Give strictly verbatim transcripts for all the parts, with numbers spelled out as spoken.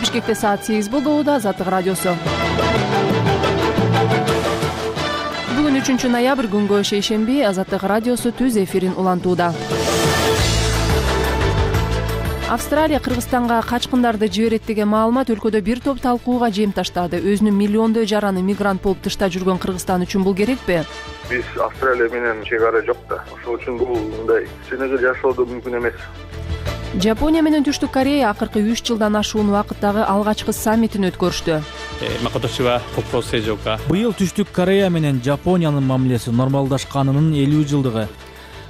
Бишкекте саат сегиз болду. Азаттык радиосу. Бүгүн үчүнчү ноябрь күнгө шейшемби. Азаттык радиосу түз эфирин улантууда. Австралия Кыргызстанга качкындарды жиберет деген маалымат өлкөдө бир топ талкууга жем таштады. Өзүнүн миллиондой жараны мигрант болуп тышта жүргөн Кыргызстан үчүн бул керекпи? Биз Австралия менен чек ара жок да. Ошол үчүн бул мындай сенегил жашоодо мүмкүн эмес. Жапония менен Түштүк Корея акыркы үч жылдан ашуун убакыттагы алгачкы саммитин өткөрүштү. Быйыл Түштүк Корея менен Жапониянын мамилеси нормалдашканынын элүү жылдыгы.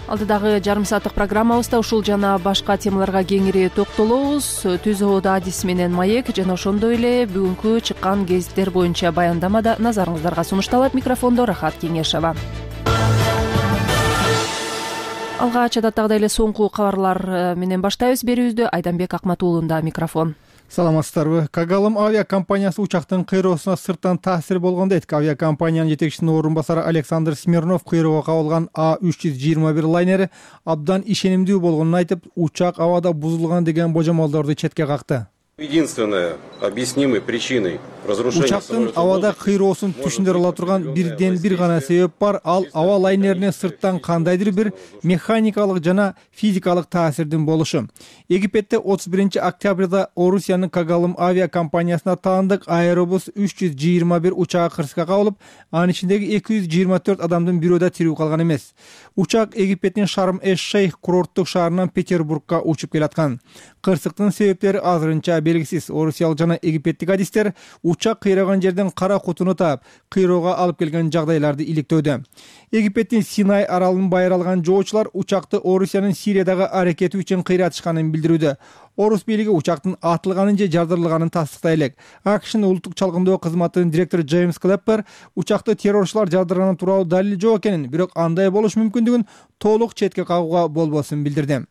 Алдыдагы жарым сааттык программабызда ушул жана башка темаларга кеңири токтолобуз. Түз абада адис менен Маек жана ошондой эле бүгүнкү чыккан гезиттер боюнча баяндамада назарыңыздарга сунушталат. Микрофондо Рахат Кеңешова. Алгач адаттагыдай эле соңку кабарлар менен баштайбыз берүүбүздү. Айданбек Акматуулунда микрофон. Саламатсыздарбы? Когалым авиакомпаниясы учактын кыйроосуна сырттан таасир болгон дейт. Авиакомпаниянын жетекчисинин орун басары Александр Смирнов кыйроого кабылган А үч жүз жыйырма бир лайнери абдан ишенимдүү болгонун айтып, учак абада бузулган деген божомолдорду четке какты. Единственная объяснимой причиной разрушения учактын абада кыйроосун түшүндүрө ала турган бирден бир гана себеп бар. Ал аба лайнерине сырттан кандайдыр бир механикалык жана физикалык таасирдин болушу. Египетте отуз биринчи октябрда Орусиянын Когалым авиакомпаниясына таандык Аэробус үч жүз жыйырма бир учагы кырсыкка кабылып, анын ичиндеги эки жүз жыйырма төрт адамдын бирөө да тирүү калган эмес. Учак Египеттин Шарм-эш-Шейх курорттук шаарынан Петербургка учуп келаткан. Кырсыктын себептери азырынча белгисиз. Орусиялык жана египеттик адистер учак кыйраган жерден кара кутуну таап, кыйроого алып келген жагдайларды иликтөөдө. Египеттин Синай аралын байыр алган жоочулар учакты Орусиянын Сириядагы аракети үчүн кыйратышканын билдирүүдө. Орус бийлиги учактын атылганын же жардырылганын тастыктай элек. АКШнын улуттук чалгындоо кызматынын директору Джеймс Клэппер учакты террорчулар жардырганы тууралуу далил жок экенин, бирок андай болушу мүмкүндүгүн толук четке кагууга болбосун билдирди.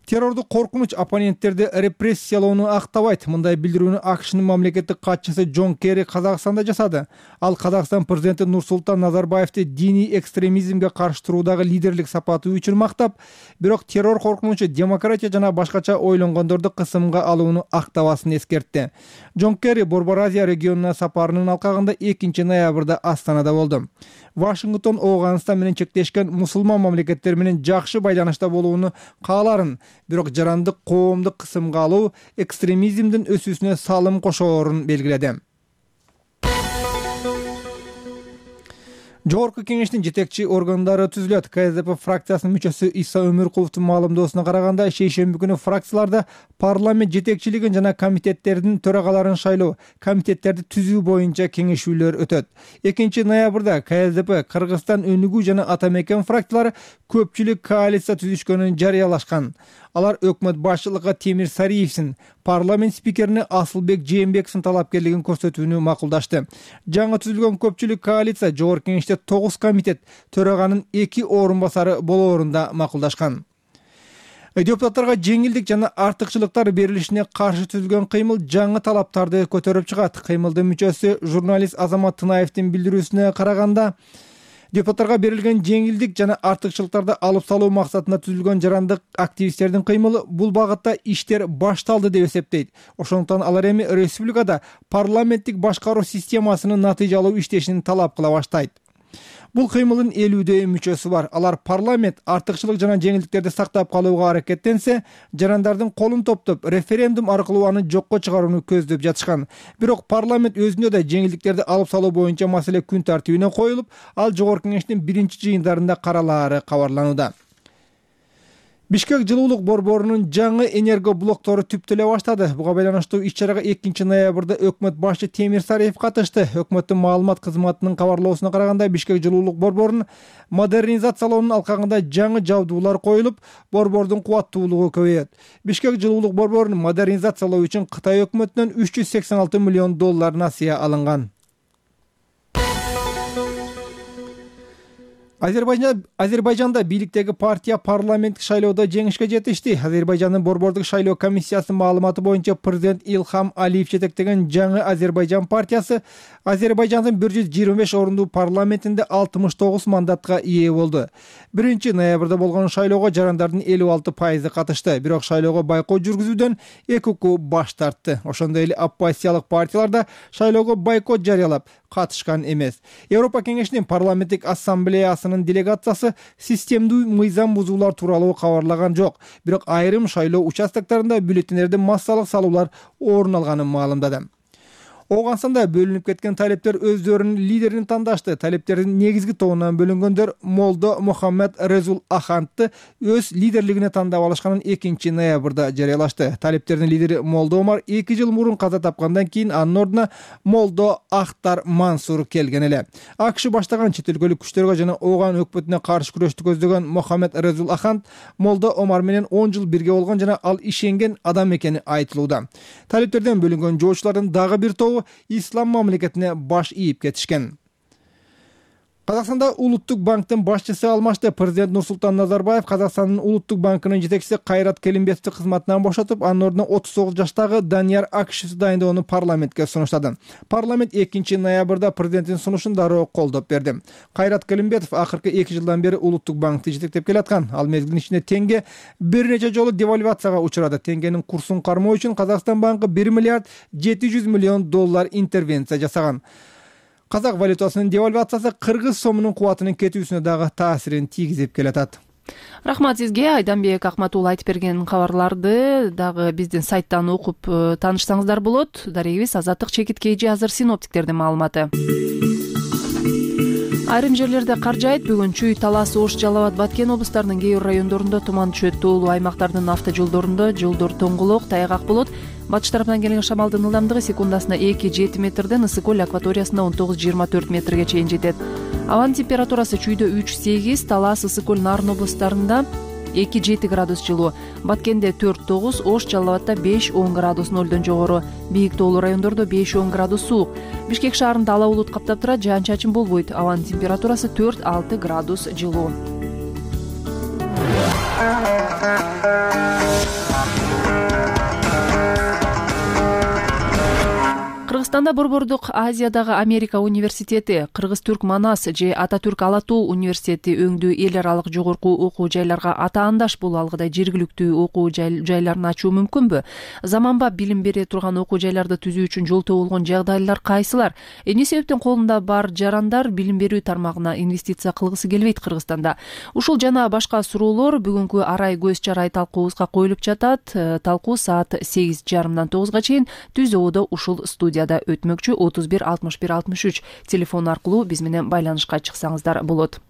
Террорду коркунуч оппоненттерди репрессиялоону актабайт. Мындай билдирүүнү АКШнын мамлекеттик катчысы Джон Керри Казакстанда жасады. Ал Казакстан президенти Нурсултан Назарбаевди диний экстремизмге каршы туруудагы лидерлик сапаты үчүн мактап, бирок террор коркунучу демократия жана башкача ойлонгондорду кысымга алууну актабасын эскертти. Джон Керри Борбор Азия регионуна сапарынын алкагында экинчи ноябрда Астанада болду. Вашингтон Ооганстан менен чектешкен мусулман мамлекеттер менен жакшы байланышта болууну кааларын, бирок жарандык коомду кысымга алуу экстремизмдин өсүүсүнө салым кошоорун белгиледи. Жогорку кеңештин жетекчи органдары түзүлөт. КСДП фракциясынын мүчөсү Иса Өмүркуловдун маалымдоосуна караганда, шейшемби күнү фракцияларда парламент жетекчилигин жана комитеттердин төрагаларын шайлоо, комитеттерди түзүү боюнча кеңешүүлөр өтөт. экинчи ноябрда КСДП Кыргызстан өнүгүү жана Ата Мекен фракциялары көпчүлүк коалиция түзүшкөнүн жарыялашкан. Алар өкмөт башчылыгына Темир Сариевсин, парламент спикерине Асылбек Жээнбековдун талапкерлигин көрсөтүүнү макулдашты. Жаңы түзүлгөн көпчүлүк коалиция жогорку кеңеште тогуз комитет, төраганын эки орун басары болоорунда макулдашкан. Депутаттарга жеңилдик жана артыкчылыктар берилишине каршы түзүлгөн кыймыл жаңы талаптарды көтөрүп чыгат. Кыймылдын мүчөсү журналист Азамат Тынаевдин билдирүүсүнө караганда, депутаттарга берилген жеңилдик жана артыкчылыктарды алып салуу максатында түзүлгөн жарандык активисттердин кыймылы бул багытта иштер башталды деп эсептейт. Ошондуктан алар эми республикада парламенттик башкаруу системасынын натыйжалуу иштешин талап кыла баштайт. Бул кыймылдын элүүдөй мүчөсү бар. Алар парламент артыкчылык жана жеңилдиктерди сактап калууга аракеттенсе, жарандардын колун топтоп, референдум аркылуу аны жокко чыгарууну көздөп жатышкан. Бирок парламент өзүнө да жеңилдиктерди алып салуу боюнча маселе күн тартибине коюлуп, ал жогорку кеңештин биринчи жыйындарында каралаары кабарланууда. Бишкек жылуулук борборунун жаңы энерго блоктору түптөлө баштады. Буга байланыштуу иш-чарага экинчи ноябрда өкмөт башчы Темир Сариев катышты. Өкмөттүн маалымат кызматынын кабарлоосуна караганда, Бишкек жылуулук борборунун модернизациялоонун алкагында жаңы жабдуулар коюлуп, борбордун кубаттуулугу көбөйөт. Бишкек жылуулук борборун модернизациялоо үчүн Кытай өкмөтүнөн үч жүз сексен алты миллион доллар насыя алынган. Азербайжан Азербайжанда бийликтеги партия парламенттик шайлоодо жеңишке жетишти. Азербайжандын борбордук шайлоо комиссиясынын маалыматы боюнча президент Илхам Алиев жетектеген жаңы Азербайжан партиясы Азербайжандын бир жүз жыйырма беш орунду парламентинде алтымыш тогуз мандатка ээ болду. биринчи ноябрда болгон шайлоого жарандардын элүү алты пайызы катышты. Бирок шайлоого байкоо жүргүзүүдөн эки укук баш тартты. Ошондой эле оппозициялык партиялар да шайлоого бойкот жарыялап катышкан эмес. Европа кеңешинин парламенттик ассамблеясынын делегациясы системдүү мыйзам бузуулар тууралуу кабарлаган жок. Бирок айрым шайлоо участоктарында бюллетендерде массалык салуулар орун алганын маалымдады. Ооганстанда бөлүнүп кеткен талептер өздөрүнүн лидерин тандашты. Талептердин негизги тобунан бөлүнгөндөр Молдо Мухаммед Резул Ахантты өз лидерлигине тандап алышканын экинчи ноябрда жарыялашты. Талептердин лидери Молдо Омар эки жыл мурун каза тапкандан кийин анын ордуна Молдо Ахтар Мансур келген эле. АКШ баштаган чет өлкөлүк күчтөргө жана ооган өкмөтүнө каршы күрөштү көздөгөн Мухаммед Резул Ахант Молдо Омар менен он жыл бирге болгон жана ал ишенген адам экени айтылууда. Талептерден бөлүнгөн жоочулардын дагы бир тобу ислам мамлекетине баш ийип кетишкен. Казакстанда Улуттук банктын башчысы алмашты. Президент Нурсултан Назарбаев Казакстандын Улуттук банкынын жетекчиси Кайрат Келимбетовду кызматынан бошотуп, анын ордуна отуз тогуз жаштагы Данияр Акишевди дайындоону парламентке сунуштады. Парламент экинчи ноябрда президенттин сунушун дароо колдоп берди. Кайрат Келимбетов акыркы эки жылдан бери Улуттук банкты жетектеп келаткан. Ал мезгилдин ичинде теңге бир нече жолу девальвацияга учурады. Теңгенин курсун кармоо үчүн Казакстан банкы бир миллиард жети жүз миллион доллар интервенция жасаган. Казак валютасынын девальвациясы кыргыз сомунун кубатынын кетүүсүнө дагы таасирин тийгизип келатат. Рахмат сизге. Айданбек Акматул айтып берген кабарларды дагы биздин сайттан окуп таанышсаңыздар болот. Дарегибиз Азаттык Чекиткейжи азыр синоптиктердин маалыматы. Айрым жерлерде кар жаайт. Бүгүн Чүй, Талас, Ош, Жалал Абад, Баткен облустарынын кээ бир райондорунда туман түшөт. Тоолуу аймактардын автожолдорунда жолдор тоңголок, тайгак болот. Батыш тараптан келген шамалдын ылдамдыгы секундасына эки жети метрден, ысык көл акваториясында он тогуз жыйырма төрт метрге чейин жетет. Абанын температурасы Чүйдө үч сегиз, Талас, ысык көл, Нарын облустарында эки жети градус жылуу, Баткенде төрт тогуз, Ош, Жалал Абадда беш он градус нөлдөн жогору, бийик тоолуу райондордо беш он градус суук. Бишкек шаарында ала булут каптап турат, жаан чачын болбойт. Абанын температурасы төрт алты градус жылуу. Кыргызстанда Борбордук Азиядагы Америка университети, Кыргыз-Түрк Манас же Ата-Түрк Ала-Тоо университети өңдүү эл аралык жогорку окуу жайларга атаандаш боло алгыдай жергиликтүү окуу жайларын ачуу мүмкүнбү? Заманбап билим бере турган окуу жайларды түзүү үчүн жол табылган жагдайлар кайсылар? Эмне себептен колунда бар жарандар билим берүү тармагына инвестиция кылгысы келбейт Кыргызстанда? Ушул жана башка суроолор бүгүнкү арай көз чарай талкуубузга коюлуп жатат. Талкуу саат сегиз жарымдан тогузга чейин Түз Оодо ушул студияда өтмөкчү. Отуз бир алтымыш бир алтымыш үч телефон аркылуу биз менен байланышка чыксаңыздар болот.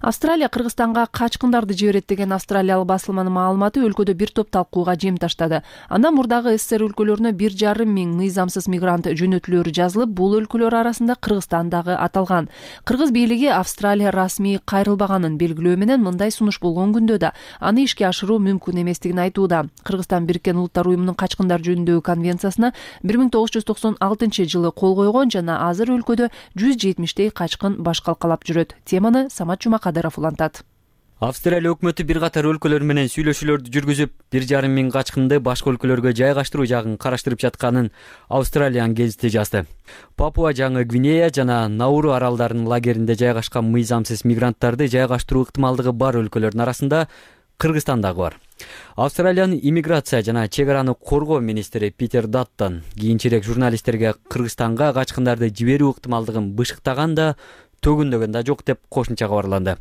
Австралия Кыргызстанга качкындарды жиберет деген австралиялык басылманын маалыматы өлкөдө бир топ талкууга жем таштады. Андан мурдагы СССР өлкөлөрүнө бир жарым миң мыйзамсыз мигрант жөнөтүлөрү жазылып, бул өлкөлөр арасында Кыргызстан дагы аталган. Кыргыз бийлиги Австралия расмий кайрылбаганын белгилөө менен мындай сунуш болгон күндө да аны ишке ашыруу мүмкүн эместигин айтууда. Кыргызстан Бириккен Улуттар уюмунун качкындар жөнүндөгү конвенциясына бир миң тогуз жүз токсон алтынчы жылы кол койгон жана азыр өлкөдө жүз жетимиштей качкын баш калкалап жүрөт. Теманы Самат Жумакадыров улантат. Австралия өкмөтү бир катар өлкөлөр менен сүйлөшүүлөрдү жүргүзүп, бир жарым миң качкынды башка өлкөлөргө жайгаштыруу жагын караштырып жатканын Австралиан гезити жазды. Папуа Жаңы Гвинея жана Науру аралдарынын лагеринде жайгашкан мыйзамсыз мигранттарды жайгаштыруу ыктымалдыгы бар өлкөлөрдүн арасында Кыргызстан дагы бар. Австралиянын иммиграция жана чек араны коргоо министри Питер Даттон кийинчерээк журналисттерге Кыргызстанга качкындарды жиберүү ыктымалдыгын бышыктаган да, төгүндөгөн да жок деп кошумча кабарланды.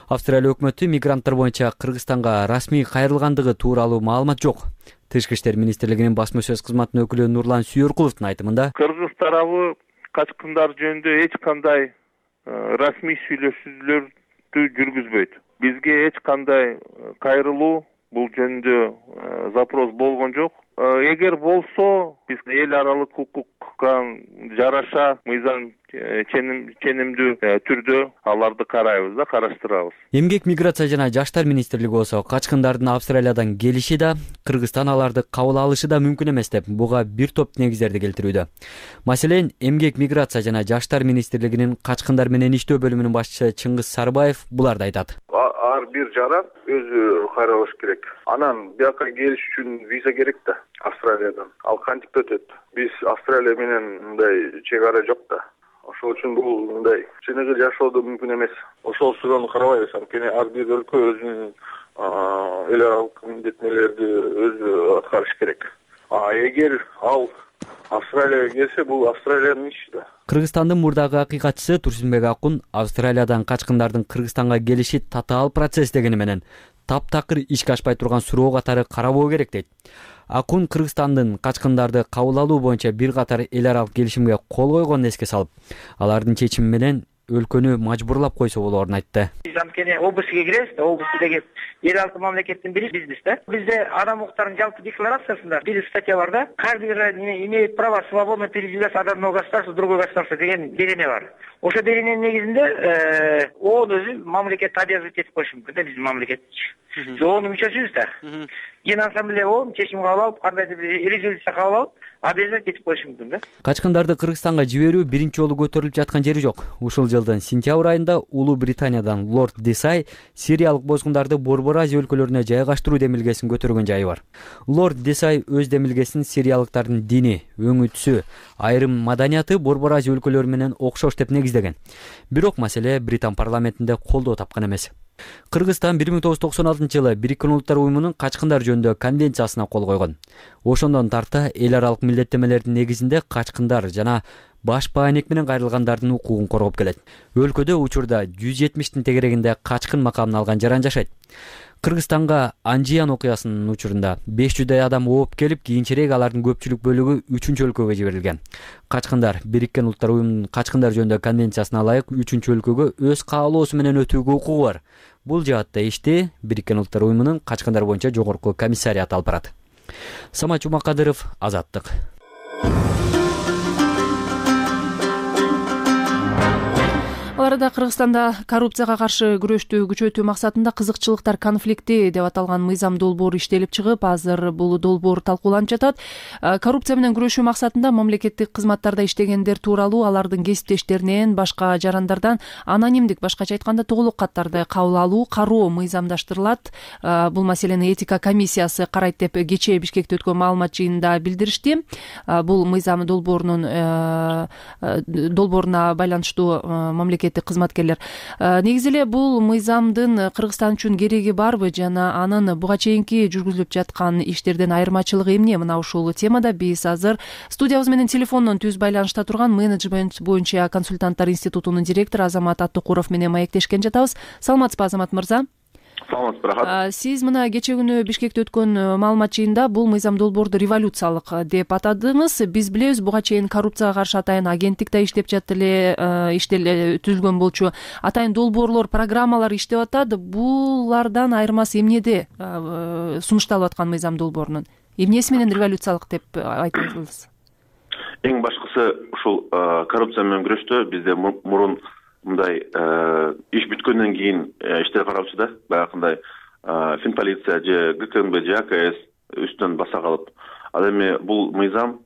Австралия өкмөтү мигранттар боюнча Кыргызстанга расмий кайрылгандыгы тууралуу маалымат жок. Тышкы иштер министрлигинин басма сөз кызматынын өкүлү Нурлан Сүйөркуловдун айтымында, Кыргыз тарабы качкындар жөнүндө эч кандай расмий сүйлөшүүлөрдү жүргүзбөйт. Бизге эч кандай кайрылуу бул жөнүндө запрос болгон жок. Эгер болсо, биз эл аралык укук укукка жараша мыйзам ченемдүү түрдө аларды карайбыз да, караштырабыз. Эмгек, миграция жана жаштар министрлиги болсо качкындардын Австралиядан келиши да, Кыргызстан аларды кабыл алышы да мүмкүн эмес деп буга бир топ негиздерди келтирүүдө. Маселен, Эмгек, миграция жана жаштар министрлигинин качкындар менен иштөө бөлүмүнүн башчысы Чыңгыз Сарбаев буларды айтат. Ар бир жаран өзү каралыш керек. Анан бияка келиш үчүн виза керек да, Австралиядан. Ал кантип өтөт? Биз Австралия менен мындай чек ара жок да. Ошол үчүн бул мындай чыныгы жашоодо мүмкүн эмес. Ошол суроону карабайбыз. Анткени ар бир өлкө өзүнүн эл аралык милдеттенүүлөрдү өзү аткарыш керек. А эгер ал Австралияга келсе, бул Австралиянын иши да. Кыргызстандын мурдагы акыйкатчысы Турсунбек Акун Австралиядан качкындардын Кыргызстанга келиши татаал процесс дегени менен таптакыр ишке ашпай турган суроо катары карабоо керек дейт. Акун Кыргызстандын качкындарды кабыл алуу боюнча бир катар эл аралык келишимге кол койгонун эске салып, алардын чечими менен өлкөнү мажбурлап койсо болоорун айтты. Биз анткени областьга киребиз да, областьтеги эл алты мамлекеттин бири бизбиз да. Бизде адам укуктарынын жалпы декларациясында бир статья бар да. Каждый имеет право свободно передвигаться от одного государства в другое государство деген берене бар. Ошо берененин негизинде ООН өзү мамлекетти обязывать этип коюшу мүмкүн да, биздин мамлекет. ООНдун мүчөсүбүз да. Генассамблея ООН чечим кабыл алып, кандайдыр бир резолюция кабыл алып, обязать этип коюшу мүмкүн да. Качкындарды Кыргызстанга жиберүү биринчи жолу көтөрүлүп жаткан жери жок. Ушул жылдын сентябрь айында Улуу Британиядан Лорд Десай сириялык бозгундарды Борбор Азия өлкөлөрүнө жайгаштыруу демилгесин көтөргөн жайы бар. Лорд Десай өз демилгесин сириялыктардын дини, өңү түсү, айрым маданияты Борбор Азия өлкөлөрү менен окшош деп негиздеген. Бирок маселе Британ парламентинде колдоо тапкан эмес. Кыргызстан бир миң тогуз жүз токсон алтынчы жылы Бириккен Улуттар уюмунун качкындар жөнүндө конвенциясына кол койгон. Ошондон тарта эл аралык милдеттенмелердин негизинде качкындар жана баш баанек менен кайрылгандардын укугун коргоп келет. Өлкөдө учурда жүз жетимиштин тегерегинде качкын макамын алган жаран жашайт. Кыргызстанга Анжиян окуясынын учурунда беш жүздөй адам ооп келип, кийинчерээк алардын көпчүлүк бөлүгү үчүнчү өлкөгө жиберилген. Качкындар Бириккен Улуттар уюмунун качкындар жөнүндө конвенциясына ылайык үчүнчү өлкөгө өз каалоосу менен өтүүгө укугу бар. Бул жаатта ишти Бириккен Улуттар уюмунун качкындар боюнча жогорку комиссариаты алып барат. Самат Жумакадыров, Азаттык. Аларда Кыргызстанда коррупцияга каршы күрөштү күчөтүү максатында кызыкчылыктар конфликти деп аталган мыйзам долбоор иштелип чыгып, азыр бул долбоор талкууланып жатат. Коррупция менен күрөшүү максатында мамлекеттик кызматтарда иштегендер тууралуу алардын кесиптештеринен, башка жарандардан анонимдик, башкача айтканда тугулук каттарды кабыл алуу, кароо мыйзамдаштырылат. Бул маселени этика комиссиясы карайт деп кечээ Бишкекте өткөн маалымат жыйынында билдиришти. Бул мыйзам долбоорунун долбооруна байланыштуу мамлекет кызматкерлер. Негизи эле бул мыйзамдын Кыргызстан үчүн кереги барбы жана анын буга чейинки жүргүзүлүп жаткан иштерден айырмачылыгы эмне? Мына ушул темада биз азыр студиябыз менен телефондон түз байланышта турган менеджмент боюнча консультанттар институтунун директору Азамат Аттыкуров менен маектешкен жатабыз. Саламатсызбы, Азамат мырза? Саламатсыз, рахат. Сиз мына кечээ күнү Бишкекте өткөн маалымат жыйында бул мыйзам долбоорду революциялык деп атадыңыз. Биз билебиз, буга чейин коррупцияга каршы атайын агенттик да иштеп жатты эле, иштеле түзүлгөн болчу. Атайын долбоорлор, программалар иштеп атат. Булардан айырмасы эмнеде сунушталып аткан мыйзам долбоорунун? Эмнеси менен революциялык деп айтасыз? Эң башкысы ушул коррупция менен күрөштө бизде мурун мындай иш бүткөндөн кийин иштер каралчу да, баягындай Финполиция же ГКМБ же АКС үстүнөн баса калып. Ал эми бул мыйзам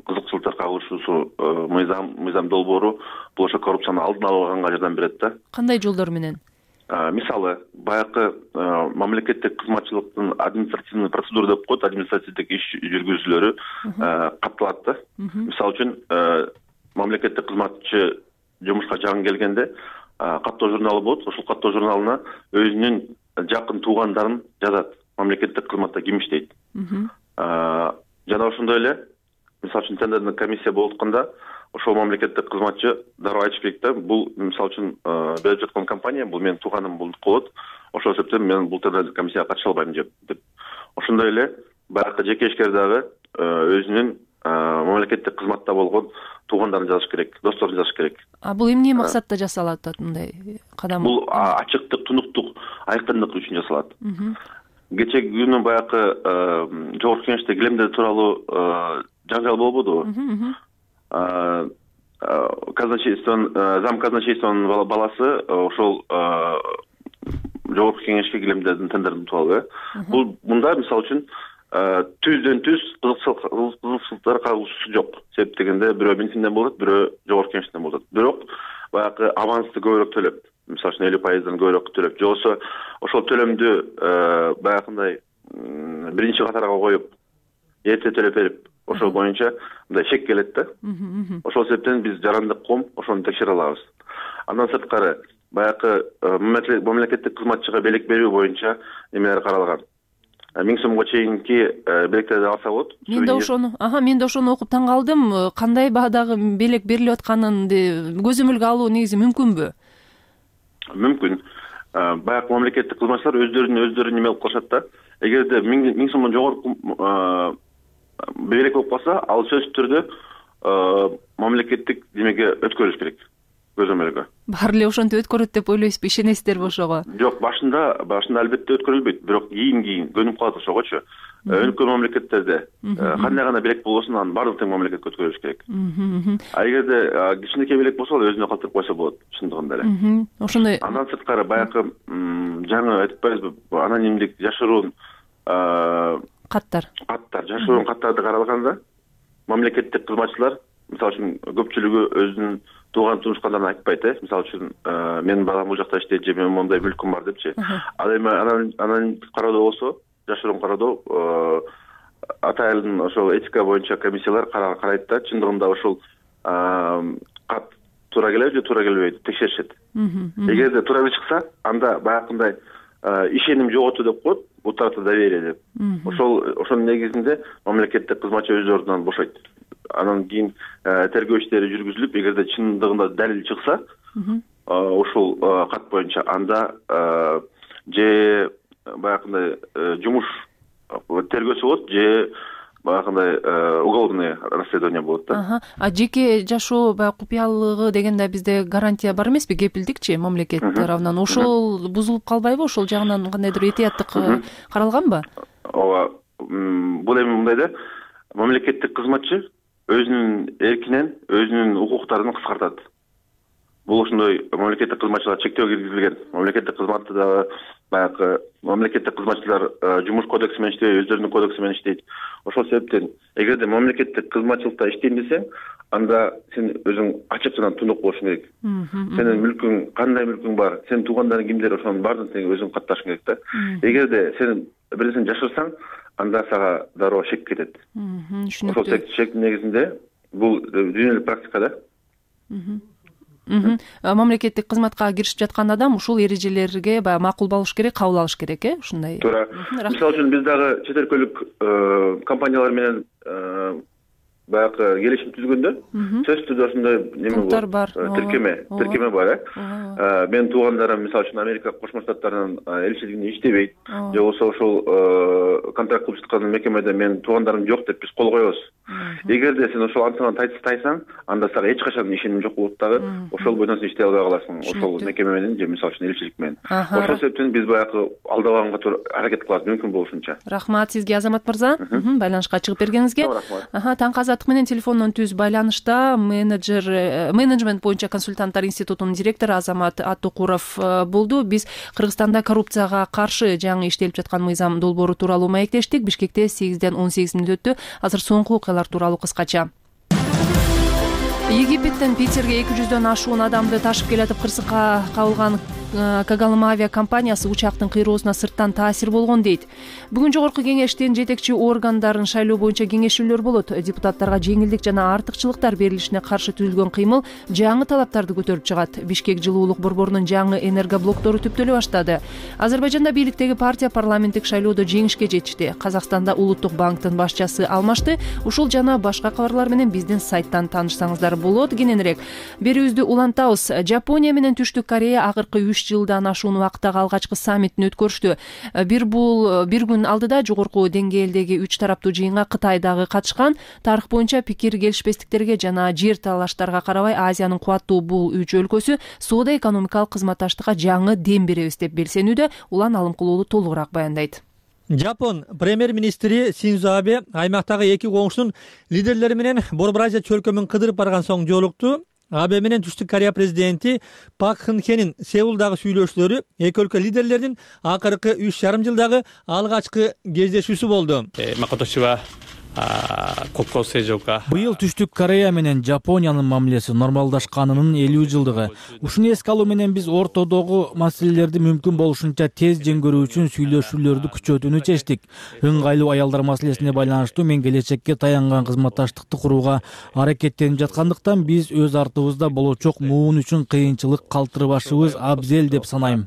кызыкчылыктар кагылышуусу мыйзам мыйзам долбоору бул ошо коррупцияны алдын алганга жардам берет да. Кандай жолдор менен? Мисалы, баягы мамлекеттик кызматчылыктын административный процедура деп коет, административдик иш жүргүзүүлөрү катталат да. Мисалы үчүн мамлекеттик кызматчы жумушка жаңы келгенде каттоо журналы болот. Ошол каттоо журналына өзүнүн жакын туугандарын жазат. Мамлекеттик кызматта ким иштейт. Жана ошондой эле, мисалы үчүн тендердик комиссия болуп атканда, ошол мамлекеттик кызматчы дароо айтыш керек да, бул мисалы үчүн берип жаткан компания, бул менин тууганым болот. Ошол себептен мен бул тендердик комиссияга катыша албайм деп. Ошондой эле баягы жеке ишкер дагы өзүнүн мамлекеттик кызматта болгон туугандарын жазыш керек, досторун жазыш керек. А бул эмне максатта жасалат мындай кадам? Бул ачыктык, тунуктук, айкындык үчүн жасалат. Кечээ күнү баягы жогорку кеңеште килемдер тууралуу жаңжал болбодубу? казначействонун зам казначействонун баласы ошол жогорку кеңешке килемдердин тендерин утуп алып э бул мында мисалы үчүн түздөн түз кызыкчылыктар кагылышуу жок. Себеп дегенде бирөө бензинден болот, бирөө жогорку кеңештен болот. Бирок баягы авансты көбүрөөк төлөп, мисалы үчүн элүү пайыздан көбүрөөк төлөп, же болбосо ошол төлөмдү баягындай биринчи катарга коюп, эрте төлөп берип, ошол боюнча мындай чек келет да. Ошол себептен биз жарандык ком ошону текшере алабыз. Андан сырткары баягы мамлекеттик кызматчыга белек берүү боюнча немелер каралган. миң сомго чейинки белектерди алса болот. Мен да ошону, аха, мен да ошону окуп таң калдым. Кандай баадагы белек берилип атканын көзөмөлгө алуу негизи мүмкүнбү? Мүмкүн. Баягы мамлекеттик кызматчылар өздөрүнүн өздөрү неме кылып калышат да. Эгерде миң сомдон жогорку белек болуп калса, ал сөзсүз түрдө мамлекеттик демеге өткөрүш керек. Көзөмөлгө. Баары эле ошентип өткөрөт деп ойлойсузбу? Ишенесиздерби ошого? Жок, башында башында албетте өткөрүлбөйт, бирок кийин кийин көнүп калат ошогочу. Өлкө мамлекеттерде кандай гана белек болбосун, анын баардык тең мамлекетке өткөрүлүш керек. А эгерде кичинекей белек болсо, ал өзүнө калтырып койсо болот, чындыгында эле. Ошондой. Андан сырткары баягы жаңы айтпайбызбы, анонимдик жашыруун каттар. Каттар, жашыруун каттарды каралганда, мамлекеттик кызматчылар, мисалы үчүн көпчүлүгү өзүнүн тууган тумушкандарын айтпайт, э. Мисалы үчүн, менин балам бул жакта иштейт, же менин мондай мүлкүм бар депчи. Ал эми анан кароодо болсо, жашыруун кароодо атайын ошол этика боюнча комиссиялар карайт да, чындыгында ошол кат туура келеби же туура келбейби текшеришет. Эгерде туура эле чыкса, анда баягындай ишеним жоготуу деп коет, бул тарапта доверие деп. Ошол ошонун негизинде мамлекеттик кызматчы өз ордунан бошойт. Анан кийин тергөө иштери жүргүзүлүп, эгерде чындыгында далил чыкса, ошол кат боюнча анда же баягындай жумуш тергөөсү болот, же баягындай уголовный расследование болот да. А жеке жашоо баягы купуялыгы дегенде бизде гарантия бар эмеспи, кепилдикчи мамлекет тарабынан? Ошол бузулуп калбайбы? Ошол жагынан кандайдыр этияттык каралганбы? Ооба, бул эми мындай да, мамлекеттик кызматчы өзүнүн эркинен өзүнүн укуктарын кыскартат. Бул ошондой мамлекеттик кызматчылар чектөө киргизилген. Мамлекеттик кызматты дагы баягы мамлекеттик кызматчылар жумуш кодекси менен иштейт, өздөрүнүн кодекси менен иштейт. Ошол себептен эгерде мамлекеттик кызматчылыкта иштейм десең, анда сен өзүң ачык жана тундук болушуң керек. Сенин мүлкүң, кандай мүлкүң бар, сенин туугандарың кимдер, ошонун баардыгын тең өзүң катташың керек да. Эгерде сен бир нерсени жашырсаң, анда сага дароо шек кетет. Ошол шектин негизинде бул дүйнөлүк практика да. Мамлекеттик кызматка киришип жаткан адам ушул эрежелерге баягы макул болуш керек, кабыл алыш керек, э? Ушундай. Туура. Мисалы үчүн биз дагы чет өлкөлүк компаниялар менен баягы келишим түзгөндө сөзсүз түрдө ошондой неме бар, тиркеме, тиркеме бар, э. Менин туугандарым мисалы үчүн Америка Кошмо Штаттарынын элчилигинде иштебейт, же болбосо ошол контракт кылып жаткан мекемеде менин туугандарым жок деп биз кол коебуз. Эгерде сен ошол антынан тайсаң, анда сага эч качан ишеним жок болот дагы, ошол бойдон сен иштей албай каласың, ошол мекеме менен же мисалы үчүн элчилик менен. Ошол себептен биз баягы алдабаганга аракет кылабыз мүмкүн болушунча. Рахмат сизге, Азамат мырза, байланышка чыгып бергениңизге. Аха, Таңкы Азаттык менен телефондон түз байланышта менеджер менеджмент боюнча консультанттар институтунун директору Азамат Аттукуров болду. Биз Кыргызстанда коррупцияга каршы жаңы иштелип жаткан мыйзам долбоору тууралуу маектештик. Бишкекте сегизден он сегиз мүнөт өттү. Азыр соңку окуялар тууралуу кыскача. Египеттен Питерге эки жүздөн ашуун адамды ташып келатып кырсыкка кабылган Кагалым авиа компаниясы учактын кыйроосуна сырттан таасир болгон дейт. Бүгүн жогорку кеңештин жетекчи органдарын шайлоо боюнча кеңешүүлөр болот. Депутаттарга жеңилдик жана артыкчылыктар берилишине каршы түзүлгөн кыймыл жаңы талаптарды көтөрүп чыгат. Бишкек жылуулук борборунун жаңы энергоблоктору түптөлө баштады. Азербайжанда бийликтеги партия парламенттик шайлоодо жеңишке жетишти. Казакстанда Улуттук банктын башчысы алмашты. Ушул жана башка кабарлар менен биздин сайттан таанышсаңыздар болот. Кененирээк берүүбүздү улантабыз. Жапония менен Түштүк Корея акыркы үч жылдан ашуун убакыттагы алгачкы саммитин өткөрүштү. Бир бул бир күн алдыда жогорку деңгээлдеги үч тараптуу жыйынга Кытай дагы катышкан. Тарых боюнча пикир келишпестиктерге жана жер талаштарга карабай Азиянын кубаттуу бул үч өлкөсү соода экономикалык кызматташтыкка жаңы дем беребиз деп белсенүүдө. Улан Алымкулуулу толугураак баяндайт. Жапон премьер-министри Синдзо Абе аймактагы эки коңшунун лидерлери менен Борбор Азия чөлкөмүн кыдырып барган соң жолукту. Абе менен Түштүк Корея президенти Пак Кын Хенин Сеулдагы сүйлөшүүлөрү эки өлкө лидерлеринин акыркы үч жарым жылдагы алгачкы кездешүүсү болду. Быйыл Түштүк Корея менен Жапониянын мамилеси нормалдашканынын элүү жылдыгы. Ушуну эске алуу менен биз ортодогу маселелерди мүмкүн болушунча тез жеңгөрүү үчүн сүйлөшүүлөрдү күчөтүүнү чечтик. Ыңгайлуу аялдар маселесине байланыштуу мен келечекке таянган кызматташтыкты курууга аракеттенип жаткандыктан биз өз артыбызда болочок муун үчүн кыйынчылык калтырбашыбыз абзел деп санайм.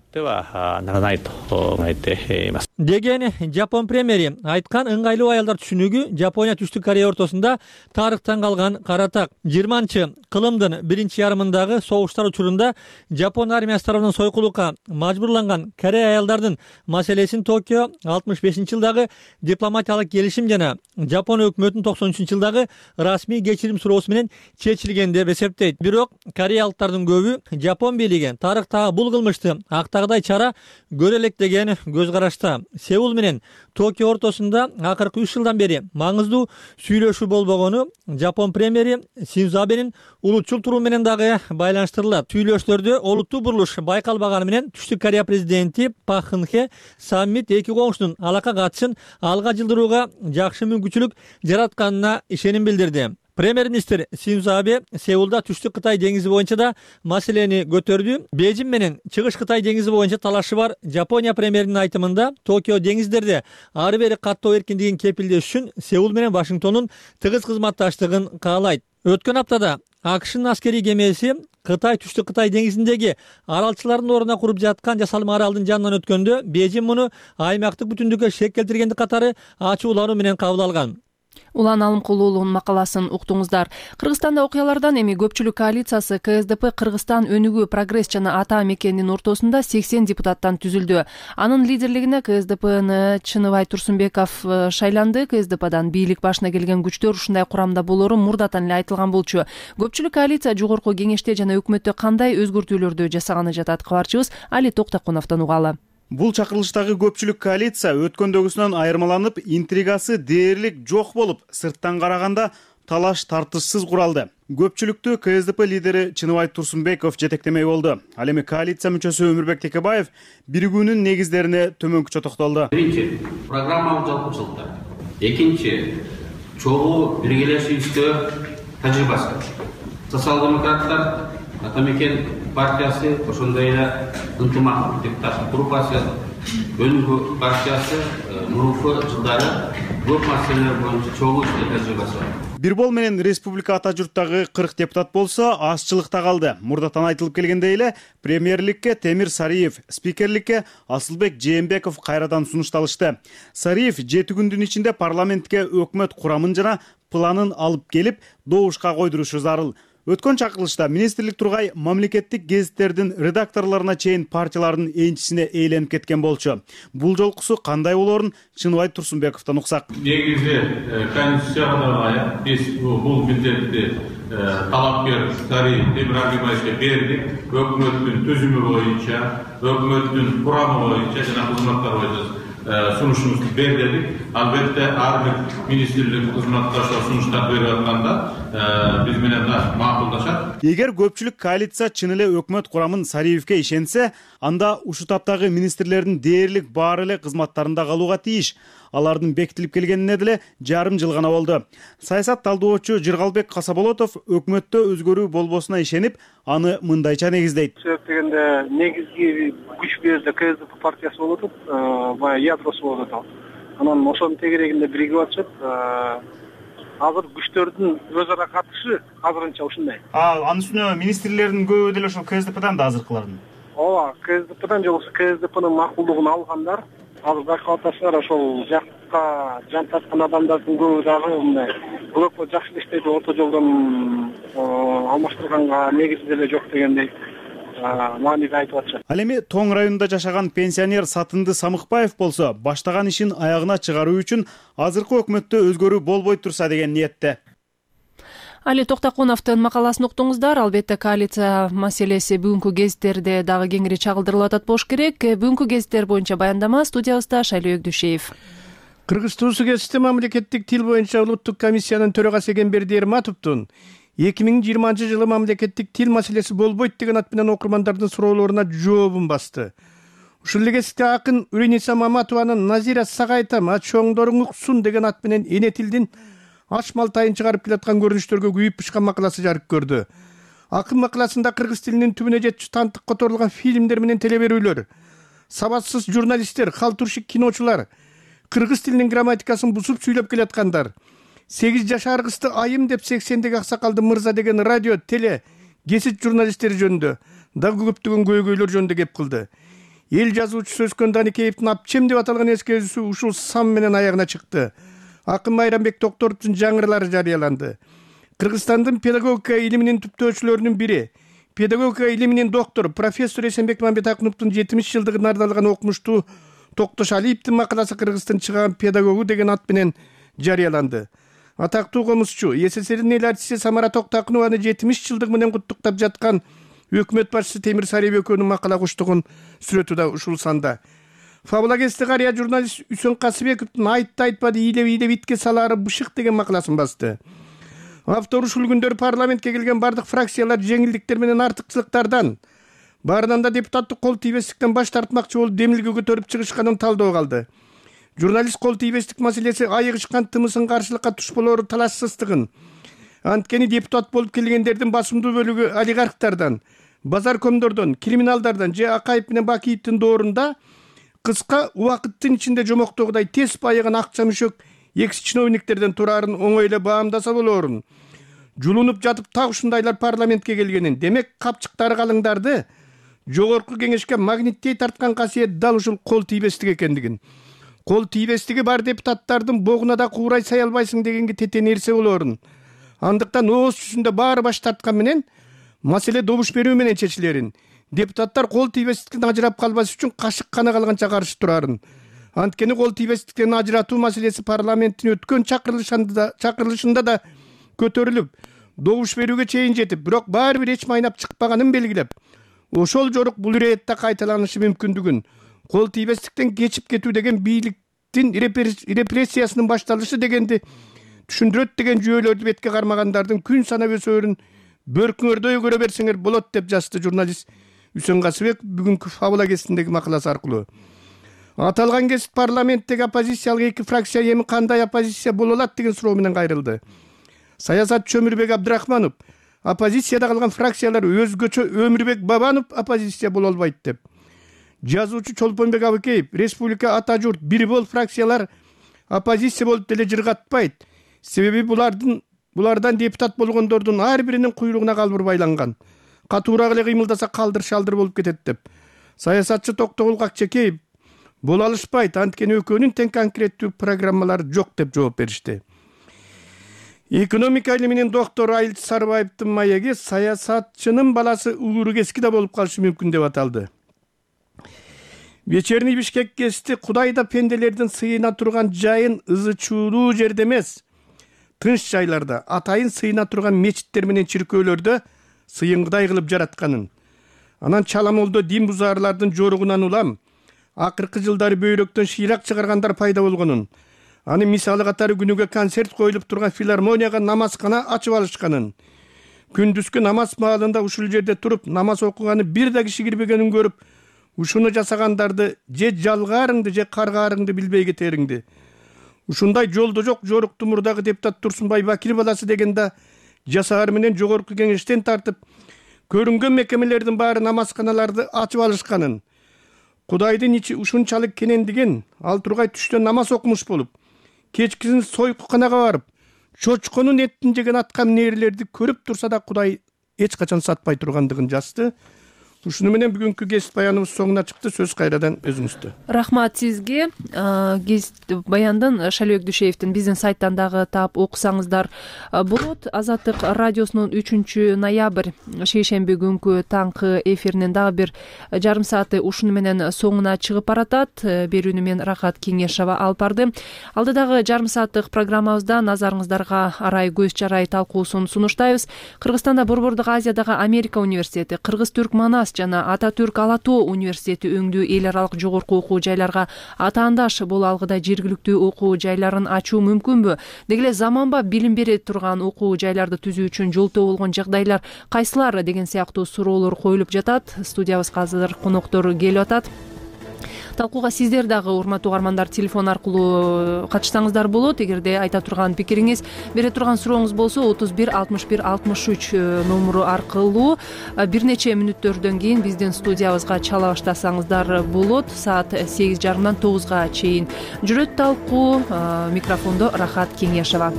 Деген Жапон премьери айткан ыңгайлуу аялдар түшүнүгү Жапония Түштүк Корея ортосунда тарыхтан калган каратак. жыйырманчы кылымдын биринчи ярымындагы согуштар учурунда Жапон армиясы тарабынан сойкулукка мажбурланган Корея аялдардын маселесин Токио алтымыш бешинчи жылдагы дипломатиялык келишим жана Жапон өкмөтүнүн токсон үчүнчү жылдагы расмий кечирим суроосу менен чечилген деп эсептейт. Бирок кореялыктардын көбү Жапон бийлиги тарыхтагы бул кылмышты актагыдай чара көрө элек деген көз карашта. Сеул менен Токио ортосунда акыркы үч жылдан бери маңыздуу сүйлөшүү болбогону Жапон премьери Синдзо Абенин улутчул туруу менен дагы байланыштырылат. Сүйлөшүүлөрдө олуттуу бурулуш байкалбаганы менен Түштүк Корея президенти Пак Кын Хе саммит эки коңшунун алака катышын алга жылдырууга жакшы мүмкүнчүлүк жаратканына ишеним билдирди. Премьер-министр Синдзо Абе Сеулда Түштүк Кытай деңизи боюнча да маселени көтөрдү. Бейжин менен Чыгыш Кытай деңизи боюнча талашы бар. Жапония премьеринин айтымында Токио деңиздерде ары бери каттоо эркиндигин кепилдеш үчүн Сеул менен Вашингтондун тыгыз кызматташтыгын каалайт. Өткөн аптада АКШнын аскерий кемеси Кытай Түштүк Кытай деңизиндеги аралчылардын ордуна куруп жаткан жасалма аралдын жанынан өткөндө Бейжин муну аймактык бүтүндүккө шек келтиргенди катары ачуулануу менен кабыл алган. Улан Алымкулуулунун макаласын уктуңуздар. Кыргызстанда окуялардан эми көпчүлүк коалициясы К С Д П Кыргызстан өнүгүү, прогресс жана ата мекенинин ортосунда сексен депутаттан түзүлдү. Анын лидерлигине К С Д Пны Чыныбай Турсунбеков шайланды. К С Д Пдан бийлик башына келген күчтөр ушундай курамда болору мурдатан эле айтылган болчу. Көпчүлүк коалиция жогорку кеңеште жана өкмөттө кандай өзгөртүүлөрдү жасаганы жатат? Кабарчыбыз Али Токтокуновдон угалы. Бул чакырылыштагы көпчүлүк коалиция өткөндөгүсүнөн айырмаланып, интригасы дээрлик жок болуп, сырттан караганда талаш тартышсыз куралды. Көпчүлүктү К С Д П лидери Чыныбай Турсунбеков жетектемей болду. Ал эми коалиция мүчөсү Өмүрбек Текебаев биригүүнүн негиздерине төмөнкүчө токтолду. Биринчи, программалык жалпычылыктар. Экинчи, чогуу биргелешүүбүздө тажрыйбасы. Социал-демократтар, ата мекен партиясы, ошондой эле ынтымак депутаттык группасы, өнүгүү партиясы мурунку жылдары көп маселелер боюнча чогуу тажрыйбасы бар. Бирбол менен республика ата журттагы кырк депутат болсо азчылыкта калды. Мурдатан айтылып келгендей эле премьерликке Темир Сариев, спикерликке Асылбек Жээнбеков кайрадан сунушталышты. Сариев жети күндүн ичинде парламентке өкмөт курамын жана планын алып келип, добушка койдурушу зарыл. Өткөн чакырылышта министрлик тургай мамлекеттик гезиттердин редакторлоруна чейин партиялардын энчисине ээленип кеткен болчу. Бул жолкусу кандай болорун Чыныбай Турсунбековдон уксак. Негизи конституцияга ылайык биз бул милдетти талапкер Сариев Темир Агыбаевге бердик. Өкмөттүн түзүмү боюнча, өкмөттүн курамы боюнча жана кызматтар боюнча сунушубузду бер дедик. Албетте ар бир министрлик кызматташтар сунуштар берип атканда биз менен макулдашат. Эгер көпчүлүк коалиция чын эле өкмөт курамын Сариевке ишенсе, анда ушул таптагы министрлердин дээрлик баары эле кызматтарында калууга тийиш. Алардын бекитилип келгенине деле жарым жыл гана болду. Саясат талдоочу Жыргалбек Касаболотов өкмөттө өзгөрүү болбосуна ишенип, аны мындайча негиздейт. Себеп дегенде негизги күч бул жерде К С Д П партиясы болуп атат, баягы ядросу болуп атат. Анан ошонун тегерегинде биригип атышат. Азыр күчтөрдүн өз ара катышы азырынча ушундай. А, анын үстүнө министрлердин көбү деле ошол К С Д Пдан да азыркылардын. Ооба, К С Д Пдан же болбосо К С Д Пнын макулдугун алгандар. Азыр байкап атасыздар, ошол жакка жан тарткан адамдардын көбү дагы мындай бул өкмөт жакшы эле иштейт, орто жолдон алмаштырганга негизи деле жок дегендей мааниде айтып атышат. Ал эми Тоң районунда жашаган пенсионер Сатынды Самыкбаев болсо, баштаган ишин аягына чыгаруу үчүн азыркы өкмөттө өзгөрүү болбой турса деген ниетте. Али Токтокуновдун макаласын уктуңуздар. Албетте коалиция маселеси бүгүнкү гезиттерде дагы кеңири чагылдырылып атат болуш керек. Бүгүнкү гезиттер боюнча баяндама студиябызда Шайлоо Өгдүшеев. Кыргыз Туусу гезити мамлекеттик тил боюнча улуттук комиссиянын төрагасы Эгемберди Эрматовдун эки миң жыйырманчы жылы мамлекеттик тил маселеси болбойт деген ат менен окурмандардын суроолоруна жообун басты. Ушул эле гезитте акын Үрениса Маматованын Назира Сагайтам чоңдоруң уксун деген ат менен эне тилдин аш малтайын чыгарып келаткан көрүнүштөргө күйүп бышкан макаласы жарык көрдү. Акын макаласында кыргыз тилинин түбүнө жетчү тантык которулган фильмдер менен телеберүүлөр, сабатсыз журналисттер, халтуршик киночулар, кыргыз тилинин грамматикасын бузуп сүйлөп келаткандар, сегиз жашар кызды айым деп сексендеги аксакалды мырза деген радио, теле, гезит журналисттери жөнүндө дагы көптөгөн көйгөйлөр жөнүндө кеп кылды. Эл жазуучусу Өскөн Даникеевдин Апчем деп аталган эскерүүсү ушул сан менен аягына чыкты. Акын Майрамбек Токторовдун жаңырылары жарыяланды. Кыргызстандын педагогика илиминин түптөөчүлөрүнүн бири, педагогика илиминин доктору профессор Эсенбек Мамбетакуновдун жетимиш жылдыгын ардалган окумуштуу Токтош Алиевдин макаласы Кыргыздын чыган педагогу деген ат менен жарыяланды. Атактуу комузчу СССРдин эл артисти Самара Токтокунованы жетимиш жылдыгы менен куттуктап жаткан өкмөт башчысы Темир Сариев экөөнүн макала куштугун сүрөтү да ушул санда. Фабула гезити карыя журналист Үсөн Касыбековдун айтты айтпады ийлеп ийлеп итке салаары бышык деген макаласын басты. Автор ушул күндөр парламентке келген бардык фракциялар жеңилдиктер менен артыкчылыктардан, баарынан да депутаттык кол тийбестиктен баш тартмакчы болуп демилге көтөрүп чыгышканын талдоо калды. Журналист кол тийбестик маселеси айыгышкан тымысын каршылыкка туш болоору талашсыздыгын, анткени депутат болуп келгендердин басымдуу бөлүгү олигархтардан, базар комдордон, криминалдардан же Акаев менен Бакиевдин доорунда кыска убакыттын ичинде жомоктогудай тез байыган акча мүшөк экс чиновниктерден турарын оңой эле баамдаса болоорун, жулунуп жатып так ушундайлар парламентке келгенин, демек капчыктары калыңдарды жогорку кеңешке магниттей тарткан касиет дал ушул кол тийбестик экендигин, кол тийбестиги бар депутаттардын богуна да куурай сай албайсың дегенге тете нерсе болоорун, андыктан ооз жүзүндө баары баш тарткан менен маселе добуш берүү менен чечилерин, депутаттар кол тийбестиктен ажырап калбас үчүн кашык кана калганча каршы турарын. Анткени кол тийбестиктен ажыратуу маселеси парламенттин өткөн чакырылышында чакырылышында да көтөрүлүп, добуш берүүгө чейин жетип, бирок баары бир эч майнап чыкпаганын белгилеп, ошол жорук бул иретте кайталанышы мүмкүндүгүн, кол тийбестиктен кечип кетүү деген бийликтин репрессиясынын башталышы дегенди түшүндүрөт деген жүйөлөрдү бетке кармагандардын күн санап өсөөрүн бөркүңөрдөй көрө берсеңер болот деп жазды журналист Үсөн Касыбек бүгүнкү Фабула гезитиндеги макаласы аркылуу. Аталган гезит парламенттеги оппозициялык эки фракция эми кандай оппозиция боло алат деген суроо менен кайрылды. Саясатчы Өмүрбек Абдрахманов оппозицияда калган фракциялар өзгөчө Өмүрбек Бабанов оппозиция боло албайт деп. Жазуучу Чолпонбек Абыкеев республика ата журт бир бол фракциялар оппозиция болуп деле жыргатпайт. Себеби булардын булардан депутат болгондордун ар биринин куйругуна калбыр байланган. Катуураак эле кыймылдаса калдыр шалдыр болуп кетет деп. Саясатчы Токтогул Какчекеев боло алышпайт, анткени экөөнүн тең конкреттүү программалары жок деп жооп беришти. Экономика илиминин доктору Айылчы Сарыбаевдин маеги саясатчынын баласы Ууру Кески да болуп калышы мүмкүн деп аталды. Вечерний Бишкек гезити Кудай да пенделердин сыйына турган жайын ызы чуулуу жерде эмес, тынч жайларда, атайын сыйына турган мечиттер менен чиркөөлөрдө сыйыңгыдай кылып жаратканын, анан чаламолдо дин бузаарлардын жоругунан улам, акыркы жылдары бөйрөктөн шыйрак чыгаргандар пайда болгонун, аны мисалы катары күнүгө концерт коюлуп турган филармонияга намазкана ачып алышканын, күндүзгү намаз маалында ушул жерде туруп намаз окуганы бир да киши кирбегенин көрүп, ушуну жасагандарды же жалгаарыңды же каргаарыңды билбей кетериңди. Ушундай жолдо жок жорукту мурдагы депутат Турсунбай Бакир баласы деген да жасаар менен жогорку кеңештен тартып, көрүнгөн мекемелердин баары намазканаларды ачып алышканын, Кудайдын ичи ушунчалык кенендиген, ал тургай түштөн намаз окумуш болуп, кечкисин сойкуканага барып, чочконун этин жеген аткан нээрилерди көрүп турса да Кудай эч качан сатпай тургандыгын жазды. ушуну менен бүгүнкү кесип баяныбыз соңуна чыкты. Сөз кайрадан өзүңүздө. Рахмат сизге. Кесип баяндын Шалбек Дүйшеевдин биздин сайттан дагы таап окусаңыздар болот. Азаттык радиосунун үчүнчү ноябрь шейшемби күнкү таңкы эфиринин дагы бир жарым сааты ушуну менен соңуна чыгып баратат. Берүүнү мен Рахат Кеңешова алып барды. Алдыдагы жарым сааттык программабызда назарыңыздарга арай көз чарай талкуусун сунуштайбыз. Кыргызстанда Борбордук Азиядагы Америка университети, Кыргыз-Түрк Манас жана Ата-Түрк Ала Тоо университети өңдүү эл аралык жогорку окуу жайларга атаандаш боло алгыдай жергиликтүү окуу жайларын ачуу мүмкүнбү? Деги эле заманбап билим бере турган окуу жайларды түзүү үчүн жолтоо болгон жагдайлар кайсылар деген сыяктуу суроолор коюлуп жатат. Студиябызга азыр коноктор келип атат. Талкууга сиздер дагы урматтуу угармандар телефон аркылуу катышсаңыздар болот. Эгерде айта турган пикириңиз, бере турган сурооңуз болсо отуз бир алтымыш бир алтымыш үч номуру аркылуу бир нече мүнөттөрдөн кийин биздин студиябызга чала баштасаңыздар болот. Саат сегиз жарымдан тогузга чейин жүрөт талкуу. Микрофондо Рахат Кеңешова.